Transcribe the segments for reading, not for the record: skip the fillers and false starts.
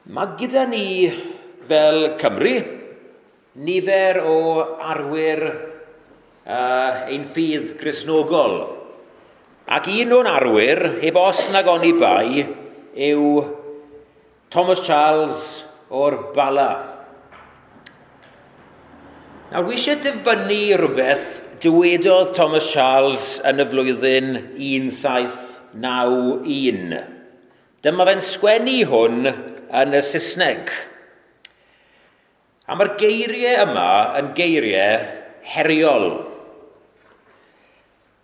Mae gyda ni fel Cymru nifer o arwyr ein ffydd Gristnogol. Ac un o'n arwyr, heb os nag oni bai, yw Thomas Charles o'r Bala. Nawr, wi eisiau dyfynnu rhywbeth dywedodd Thomas Charles yn y flwyddyn 1791. Dyma fe'n sgwennu hwn yn y Saesneg. A mae'r geiriau yma yn geiriau heriol.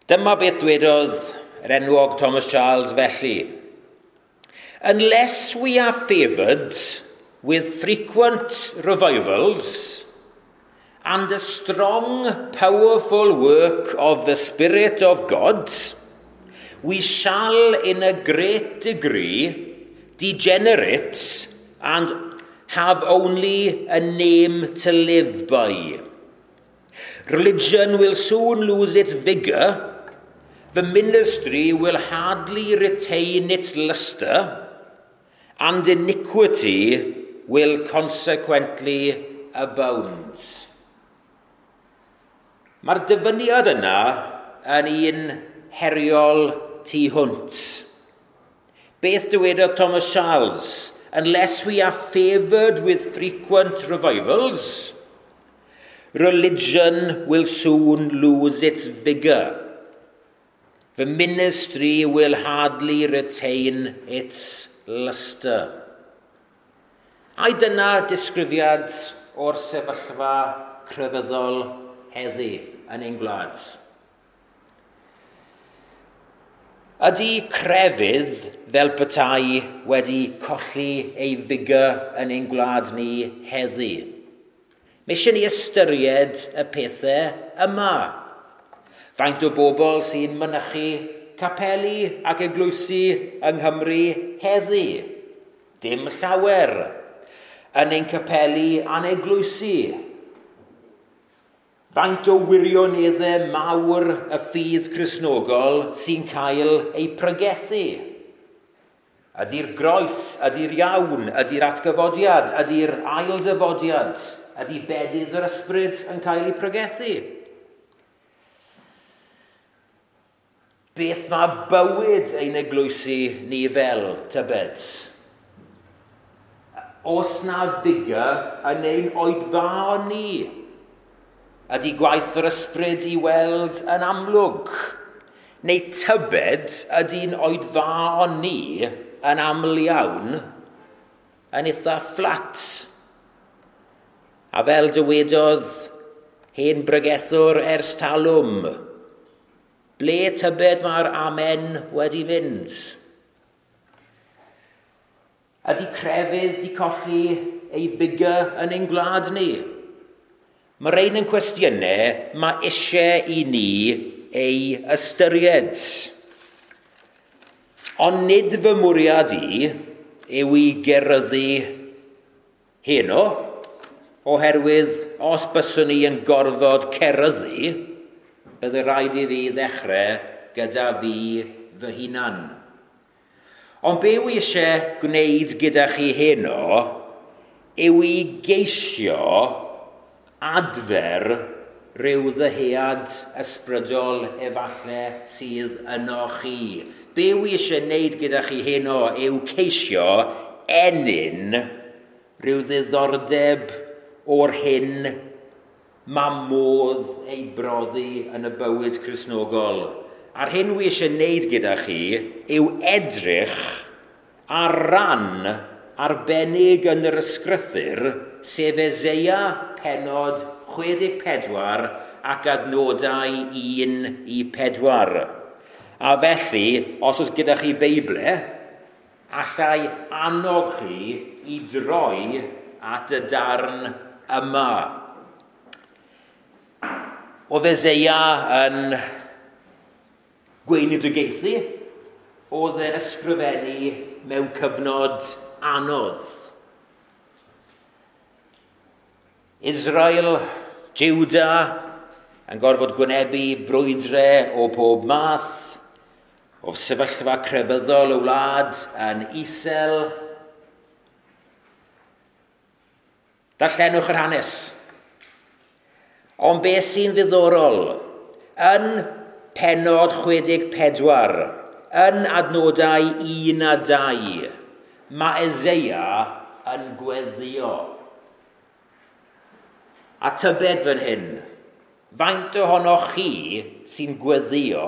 Dyma beth dwedodd yr enwog Thomas Charles felly. "Unless we are favoured with frequent revivals and a strong, powerful work of the Spirit of God, we shall in a great degree degenerate and have only a name to live by. Religion will soon lose its vigour, the ministry will hardly retain its lustre, and iniquity will consequently abound." Mae'r dyfyniad yna yn un heriol tu hwnt. Beth dywedodd Thomas Charles? "Unless we are favoured with frequent revivals, religion will soon lose its vigour. The ministry will hardly retain its lustre." Ai dyna disgrifiad o'r sefyllfa crefyddol heddi yn ein gwlad? Ydy crefydd fel petai wedi colli ei vigour yn ein gwlad ni heddi? Mae eisiau ni ystyried y pethau yma. Faint o bobl sy'n mynychu capeli ac eglwysi yng Nghymru heddi? Dim llawer. Yn ein capeli a'n eglwysi. Faint o wirioneddau mawr y ffydd Cristnogol sy'n cael ei pregethu? Ydy'r groes, ydy'r iawn, ydy'r atgyfodiad, ydy'r ailddyfodiad, ydy bedydd yr ysbryd yn cael ei pregethu? Beth mae bywyd ein eglwysi ni fel, tybed? Oes 'na vigour yn ein oedfaon ni? Ydy gwaith yr ysbryd i weld yn amlwg? Neu tybed ydy'n oedfaon ni yn aml iawn yn eitha fflat? A fel dywedodd hen bregethwr ers talwm, ble tybed mae'r amen wedi mynd? Ydy crefydd di colli ei vigour yn ein gwlad ni? Mae rhain yn cwestiynau mae eisiau i ni ei ystyried. Ond nid fy mwriad i yw i geryddu heno, oherwydd os byswn i yn gorfod ceryddu, bydde rhaid i fi ddechrau gyda fi fy hunan. Ond be wi eisiau gwneud gyda chi heno yw i geisio adfer rhyw ddyhead ysbrydol efallai sydd yno chi. Be wi eisiau wneud gyda chi heno yw ceisio ennyn rhyw ddiddordeb o'r hyn mae modd ei brofi yn y bywyd Cristnogol. A'r hyn wi eisiau wneud gyda chi yw edrych ar ran arbennig yn yr ysgrythur, sef Eseia pennod 64 ac adnodau 1 i 4. A felly, os oes gyda chi Beible, allai annog chi i droi at y darn yma. Oedd Eseia yn gweinidogaethu, oedd e'n ysgrifennu mewn cyfnod anodd. Israel, Juda, yn gorfod gwynebu brwydrau o pob math, o sefyllfa crefyddol y wlad yn isel. Darllenwch yr hanes. Ond beth sy'n ddiddorol, yn pennod 64, yn adnodau 1 a 2, mae Eseia yn gweddio. A tybed fan hyn, faint ohonoch chi sy'n gweddio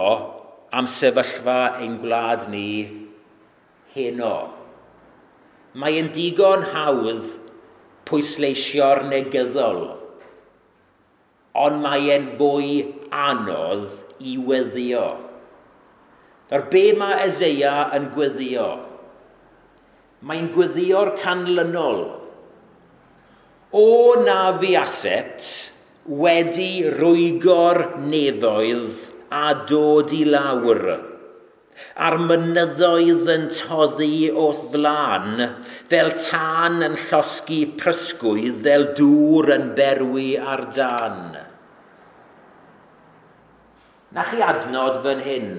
am sefyllfa ein gwlad ni heno? Mae'n digon hawdd pwysleisio'r negyddol, ond mae'n fwy anodd i weddio. Nawr, be mae Eseia yn gweddio? Mae'n gweddio'r canlynol. O na fuaset wedi rwygo'r nefoedd a dod i lawr, a'r mynyddoedd yn toddi o'th flan, fel tân yn llosgi prysgwydd, fel dŵr yn berwi ar dân. Na chi adnod fan hyn.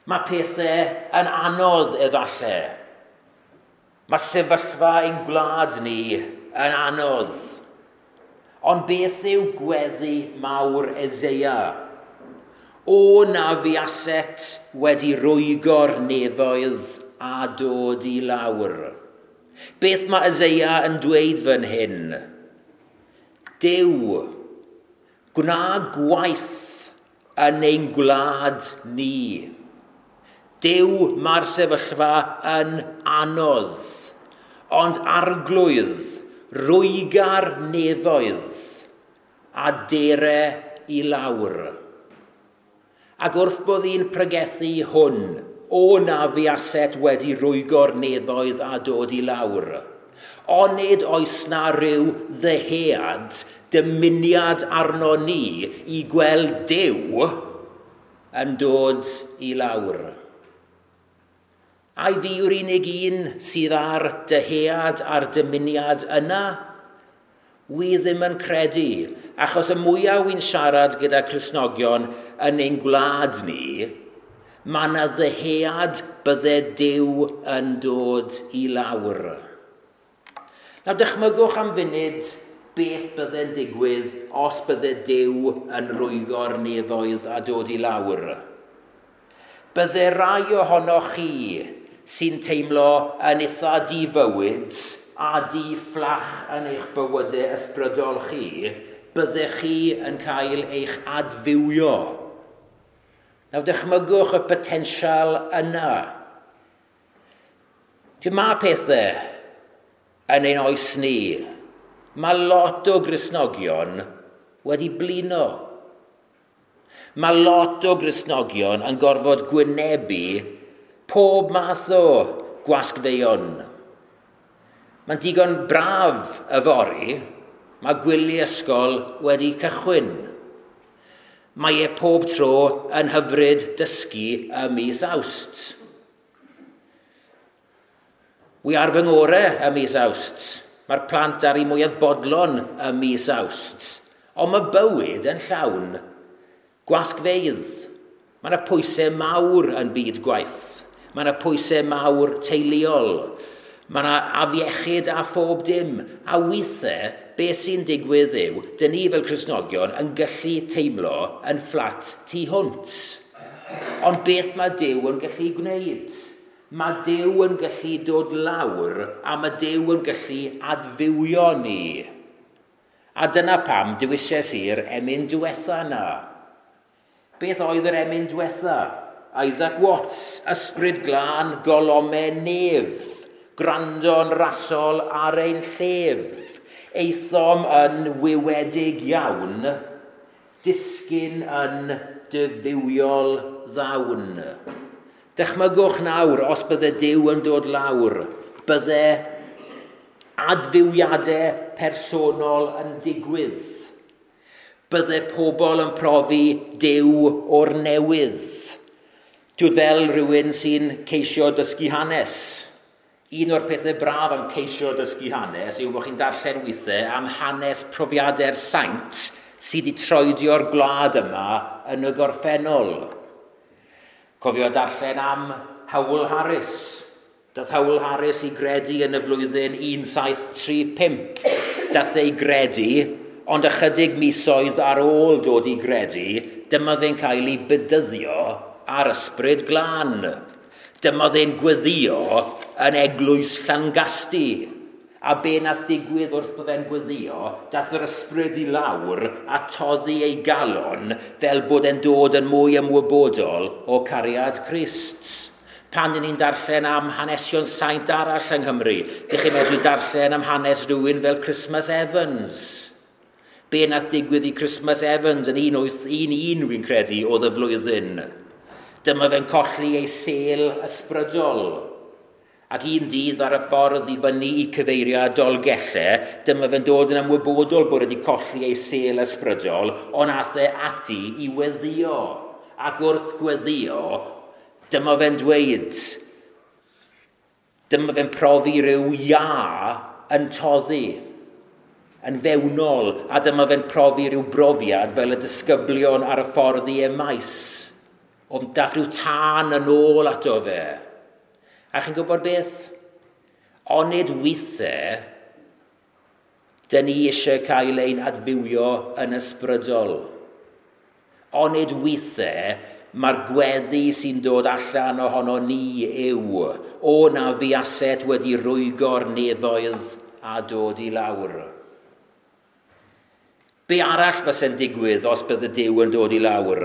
Mae pethau yn anodd efallai. Mae sefyllfa ein gwlad ni yn anodd. Ond beth yw gweddi mawr Eseia? O na fuaset wedi rwygo'r nefoedd a dod i lawr. Beth mae Eseia yn dweud fan hyn? Duw, gwna gwaith yn ein gwlad ni. Duw, mae'r sefyllfa yn anodd, ond Arglwydd, rwyga'r nefoedd a dere i lawr. Ac wrth bod hi'n pregethu hwn, o na fuaset wedi rwygo'r nefoedd a dod i lawr. Onid oes na ryw ddyhead, dymuniad arno ni i gweld Duw yn dod i lawr. Ai fi yw'r unig un sydd ar dyhead a'r dymuniad yna? Wi ddim yn credu, achos y mwyaf wy'n siarad gyda Cristnogion yn ein gwlad ni, mae yna ddyhead bydde Duw yn dod i lawr. Nawr dychmygwch am funud beth bydde'n digwydd os bydde Duw yn rwygo'r nefoedd a dod i lawr. Bydde rai ohonoch chi sy'n teimlo yn eitha difywyd a di-fflach yn eich bywydau ysbrydol chi, byddech chi yn cael eich adfywio. Nawr dychmygwch y potensial yna. Mae pethau yn ein oes ni. Mae lot o Gristnogion wedi blino. Mae lot o Gristnogion yn gorfod gwynebu pob math o gwasgfeuon. Mae'n digon braf yfory, mae gwyliau ysgol wedi cychwyn. Mae e pob tro yn hyfryd dysgu ym mis Awst. Wi ar fy ngorau ym mis Awst. Mae'r plant ar eu mwyaf bodlon ym mis Awst. Ond mae bywyd yn llawn gwasgfeydd. Mae yna pwysau mawr yn byd gwaith. Mae yna pwysau mawr teuluol. Mae yna afiechyd a phob dim. A weithiau, beth sy'n digwydd yw, dyn ni fel Cristnogion yn gallu teimlo yn fflat tu hwnt. Ond beth mae Duw yn gallu gwneud? Mae Duw yn gallu dod lawr a mae Duw yn gallu adfywio ni. A dyna pam dewisais i'r emyn diwetha yna. Beth oedd yr emyn diwetha? Isaac Watts, ysbryd glân golome nef, gwrando'n rasol ar ein llef. Aethom yn wywedig iawn, disgyn yn dyfywiol ddawn. Dychmygwch nawr, os bydde Duw yn dod lawr, bydde adfywiadau personol yn digwydd. Bydde pobl yn profi Duw o'r newydd. Dwi'n fel rhywun sy'n ceisio dysgu hanes. Un o'r pethau braf am ceisio dysgu hanes yw bod chi'n darllen weithiau am hanes profiadau'r saint sydd wedi troedio'r gwlad yma yn y gorffennol. Cofio darllen am Howell Harris. Dath Howell Harris i gredu yn y flwyddyn 1735. Dath ei gredu, ond ychydig misoedd ar ôl dod i gredu, dyma fe'n cael ei bydyddio ar Ysbryd Glân. Dyma fe'n gweddio yn eglwys Llangasty. A be nath digwydd wrth bod e'n gweddio, dath yr ysbryd i lawr a toddi ei galon fel bod e'n dod yn mwy ymwybodol o cariad Crist. Pan dyn ni'n darllen am hanesion saint arall yng Nghymru, dych chi'n medru darllen am hanes rhywun fel Christmas Evans. Be nath digwydd i Christmas Evans yn 1811, wy'n credu, oedd y flwyddyn. Dyma fe'n colli ei sêl ysbrydol. Ac un dydd ar y ffordd i fyny i cyfeiriad Dolgellau, dyma fe'n dod yn ymwybodol bod wedi colli ei sêl ysbrydol, ond aeth e ati i weddio. Ac wrth gweddio, dyma fe'n dweud, dyma fe'n profi rhyw ia yn toddi, yn fewnol, a dyma fe'n profi rhyw brofiad fel y disgyblion ar y ffordd i Emaus. Oedd dath rhyw tân yn ôl ato fe. A chi'n gwybod beth? Onid weithiau, dyn ni eisiau cael ein adfywio yn ysbrydol. Onid weithiau, mae'r gweddi sy'n dod allan ohono ni yw, o na fuaset wedi rwygo'r nefoedd a dod i lawr. Be arall fyse'n digwydd os bydde Duw yn dod i lawr?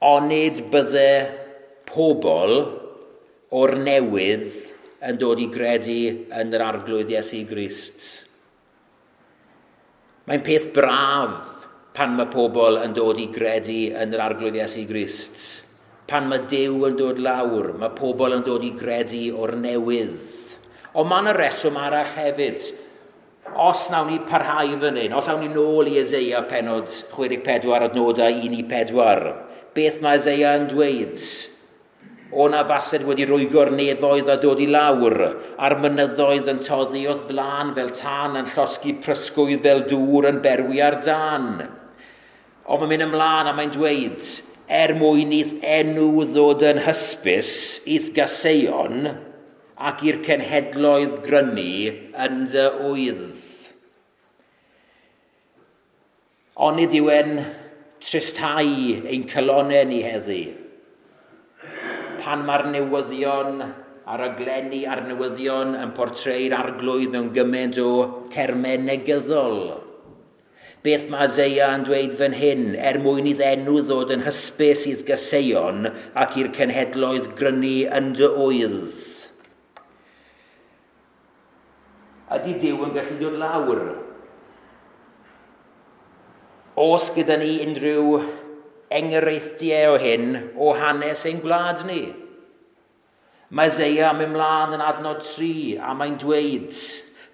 Onid bydde pobl o'r newydd yn dod i gredu yn yr Arglwydd Iesu Grist. Mae'n peth braf pan mae pobl yn dod i gredu yn yr Arglwydd Iesu Grist. Pan mae Duw yn dod lawr, mae pobl yn dod i gredu o'r newydd. Ond mae yna reswm arall hefyd. Os nawn ni parhau fan hyn, os nawn ni nôl i Eseia pennod 64 adnodau 1-4, beth mae Eseia yn dweud? O na fased wedi rwygo'r nefoedd a dod i lawr, a'r mynyddoedd yn toddi wrth flan fel tân yn llosgi prysgwydd fel dŵr yn berwi ar dân. Ond mae'n mynd ymlaen a mae'n dweud, er mwyn i'th enw ddod yn hysbys i'th gaseion ac i'r cenhedloedd grynu yn dy ŵydd. Onid yw e'n tristhau ein calonnau ni heddi? Pan mae'r newyddion a'r raglenni a'r newyddion yn portre'r Arglwydd mewn gymaint o termau negyddol. Beth mae Eseia yn dweud fan hyn, er mwyn iddo enw ddod yn hysbys i'th gaseion ac i'r cenhedloedd grynu yn dy ŵydd. Ydy Duw yn gallu dod lawr? Oes gyda ni unrhyw enghreifftiau o hyn o hanes ein gwlad ni? Mae Eseia yn mynd mlaen yn adnod 3 a mae'n dweud,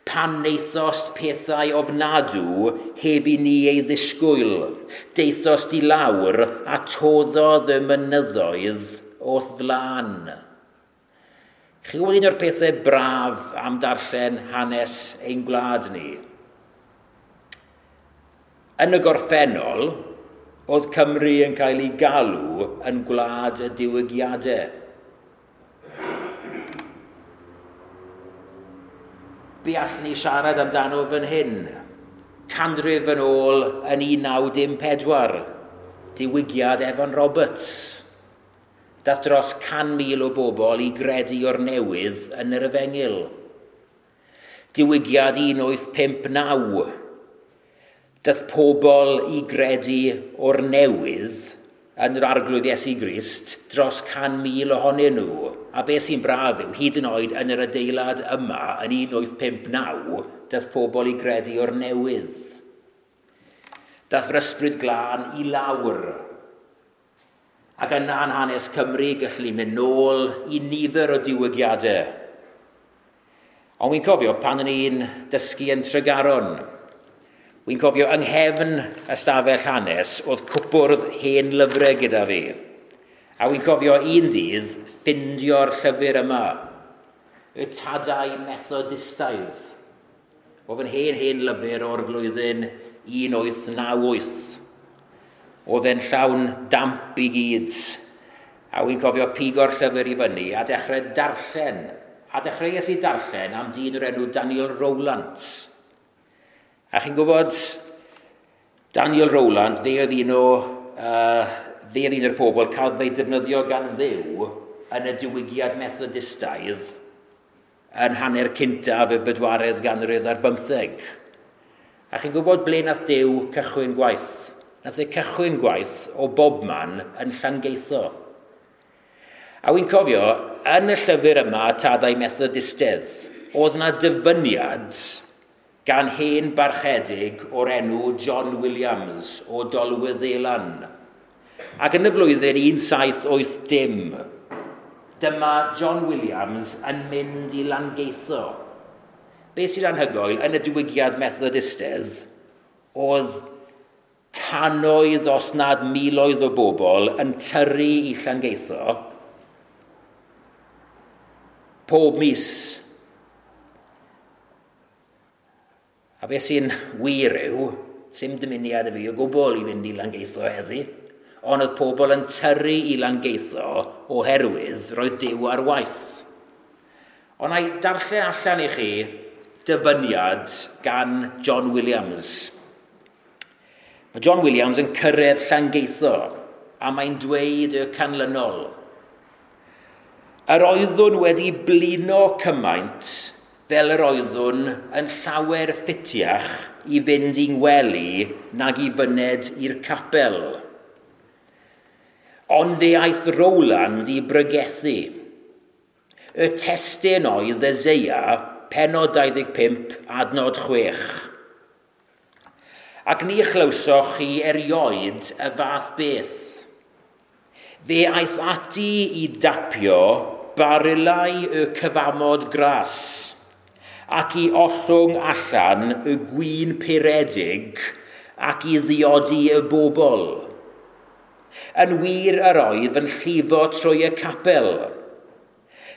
pan neithost pethau ofnadw heb i ni ei ddisgwyl, deithost i lawr a toddodd y mynyddoedd o'th flan. Chi'n gwybod un o'r pethau braf am darllen hanes ein gwlad ni? Yn y gorffennol, oedd Cymru yn cael ei galw yn gwlad y diwygiadau. Be allwn ni siarad amdano fan hyn? Canrif yn ôl yn 1914, diwygiad Evan Roberts. Dath dros 100,000 o bobl i gredu o'r newydd yn yr Efengyl. Diwygiad 1859. Dath pobl i gredu o'r newydd yn yr Arglwydd Iesu Grist dros 100,000 ohonyn nhw. A beth sy'n braf yw, hyd yn oed yn yr adeilad yma yn 1859, dath pobl i gredu o'r newydd. Dath yr Ysbryd Glân i lawr. Ac yna yn hanes Cymru gallu mynd nôl i nifer o diwygiadau. Ond wy'n cofio pan o'n i'n dysgu yn Tregaron, wy'n cofio yng nghefn ystafell hanes oedd cwpwrdd hen lyfrau gyda fi. A wy'n cofio un dydd ffindio'r llyfr yma, y Tadau Methodistaidd. Oedd yn hen lyfr o'r flwyddyn 1898. Oedd e'n llawn damp i gyd. A wy'n cofio pigo'r llyfr i fyny a dechrau darllen. A dechreuais i darllen am dyn o'r enw Daniel Rowland. A chi'n gwybod, Daniel Rowland, fe oedd un o, fe oedd un o'r pobl cael ei defnyddio gan Dduw yn y diwygiad Methodistaidd yn hanner cyntaf y bedwaredd ganrif ar bymtheg. A chi'n gwybod ble nath Duw cychwyn gwaith? Nath e cychwyn gwaith o bobman yn Llangeitho. A wy'n cofio, yn y llyfr yma, Tadau Methodistedd, oedd yna dyfyniad gan hen barchedig o'r enw John Williams o Dolwyddelan. Ac yn y flwyddyn 1780, dyma John Williams yn mynd i Langeitho. Be sy'n anhygoel, yn y diwygiad Methodistedd, oedd cannoedd os nad miloedd o bobl yn tyrru i Llangeitho pob mis. A beth sy'n wir yw, sy'm dymuniad y fi o gwbl i fynd i Langeitho heddi, ond oedd pobl yn tyrru i Langeitho oherwydd roedd Duw ar waith. Ond na i darllen allan i chi dyfyniad gan John Williams. Mae John Williams yn cyrraedd Llangeitho a mae'n dweud y canlynol. Yr oeddwn wedi blino cymaint fel yr oeddwn yn llawer ffitiach i fynd i'n gwely nag i fyned i'r capel. Ond fe aeth Rowland i bregethu. Y testun oedd Eseia, pennod 25, adnod 6. Ac ni chlywsoch chi erioed y fath beth. Fe aeth ati i dapio barilau y cyfamod gras ac i ollwng allan y gwin puredig ac i ddiodi y bobl. Yn wir yr oedd yn llifo trwy y capel.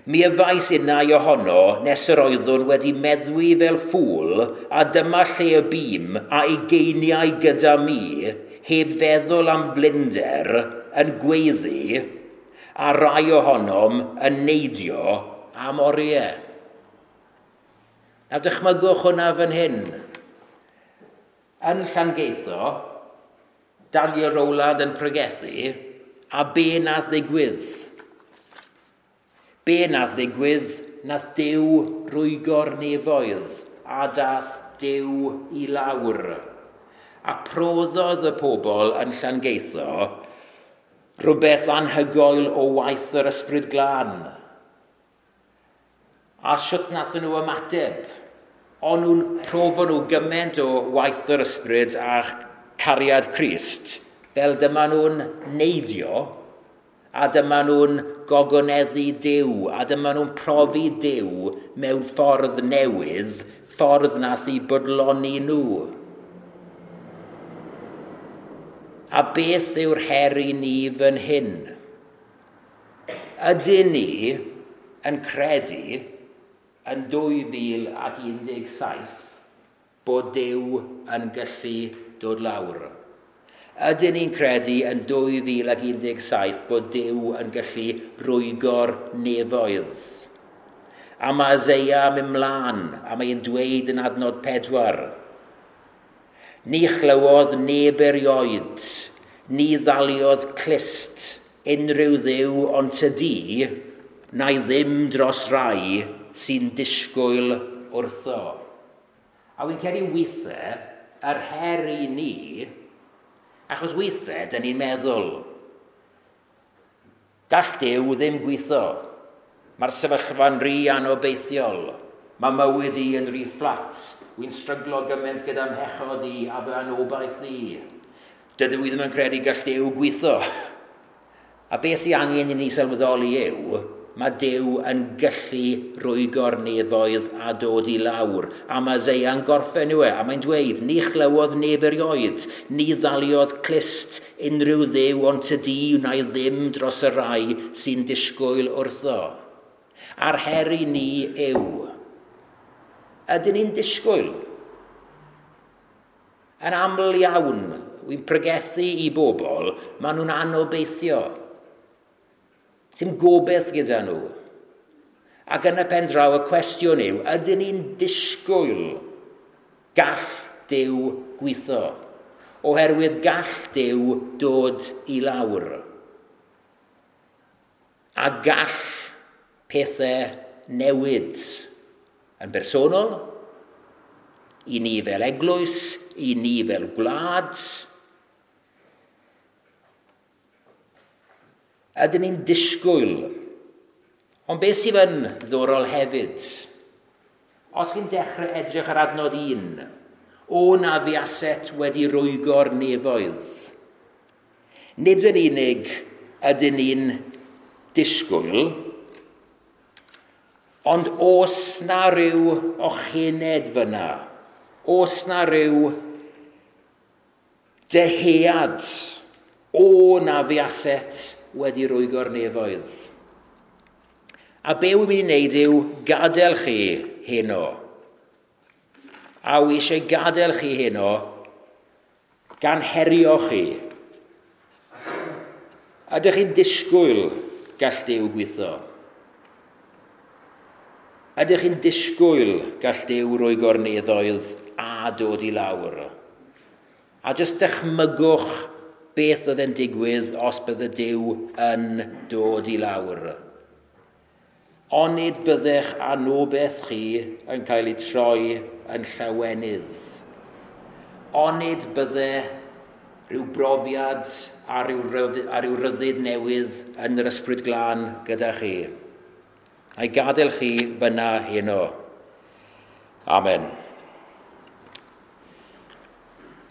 Mi yfais innau ohono nes yr oeddwn wedi meddwi fel ffŵl, a dyma lle y bûm a ugeiniau gyda mi, heb feddwl am flinder, yn gweiddi, a rai ohonom yn neidio am oriau. Nawr dychmygwch hwnna fan hyn. Yn Llangeitho, Daniel Rowland yn pregethu, a be nath ddigwydd? Be nath ddigwydd? Nath Duw rwygo'r nefoedd, a dath Duw i lawr. A proddodd y pobl yn Llangeitho rhywbeth anhygoel o waith yr Ysbryd Glân. A sut nath nhw ymateb? O'n nhw'n profo nhw gymaint o waith yr Ysbryd a cariad Crist, fel dyma nhw'n neidio, a dyma nhw'n gogoneddu Duw, a dyma nhw'n profi Duw mewn ffordd newydd, ffordd nath i bodloni nhw. A beth yw'r her i ni fan hyn? Ydyn ni yn credu yn 2017 bod Duw yn gallu dod lawr? Ydyn ni'n credu yn 2017 bod Duw yn gallu rwygo'r nefoedd? A mae Eseia yn mynd mlaen, a mae'n dweud yn adnod 4. Ni chlywodd neb erioed, ni ddaliodd clust unrhyw dduw ond tydi, na'i ddim dros rai sy'n disgwyl wrtho. A wy'n credu weithiau, yr her i ni, achos weithiau, dyn ni'n meddwl, gall Duw ddim gweithio. Mae'r sefyllfa'n rhy anobeithiol. Mae mywyd i yn rhy fflat. Wy'n stryglo gymaint gyda mhechod i a fy anobaith i. Dydw i ddim yn credu gall Duw gweithio. A beth sy'n angen i ni sylweddoli yw, mae Duw yn gallu rwygo'r nefoedd a dod i lawr. A mae Eseia'n gorffen yw e, a mae'n dweud, ni chlywodd neb erioed, ni ddaliodd clust unrhyw dduw ond tydi wna i ddim dros y rai sy'n disgwyl wrtho. A'r her i ni yw, ydyn ni'n disgwyl? Yn aml iawn, wy'n pregethu i bobl, maen nhw'n anobeithio. Sim gobeith gyda nhw. Ac yn y pen draw y cwestiwn yw, ydyn ni'n disgwyl gall Duw gweithio? Oherwydd gall Duw dod i lawr. A gall pethau newid yn bersonol, i ni fel eglwys, i ni fel gwlad. Ydyn ni'n disgwyl. Ond beth sydd yn ddiddorol hefyd, os chi'n dechrau edrych ar adnod 1, o na fuaset wedi rwygo'r nefoedd. Nid yn unig ydyn ni'n disgwyl, ond os na ryw ochened fyna, os na ryw dyhead, o na fuaset wedi rwygo'r nefoedd. A be wy'n mynd i wneud yw gadael chi heno. A wy eisiau gadael chi heno gan herio chi. Ydych chi'n disgwyl gall Duw gweithio? Ydych chi'n disgwyl gall Duw rwygo'r nefoedd a dod i lawr? A jyst dychmygwch beth oedd yn digwydd os bydde Duw yn dod i lawr. Onid byddech anobaith chi yn cael ei troi yn llawenydd. Onid bydde rhyw brofiad a rhyw ryddid newydd yn yr Ysbryd Glân gyda chi. A'i gadael chi fyna heno. Amen.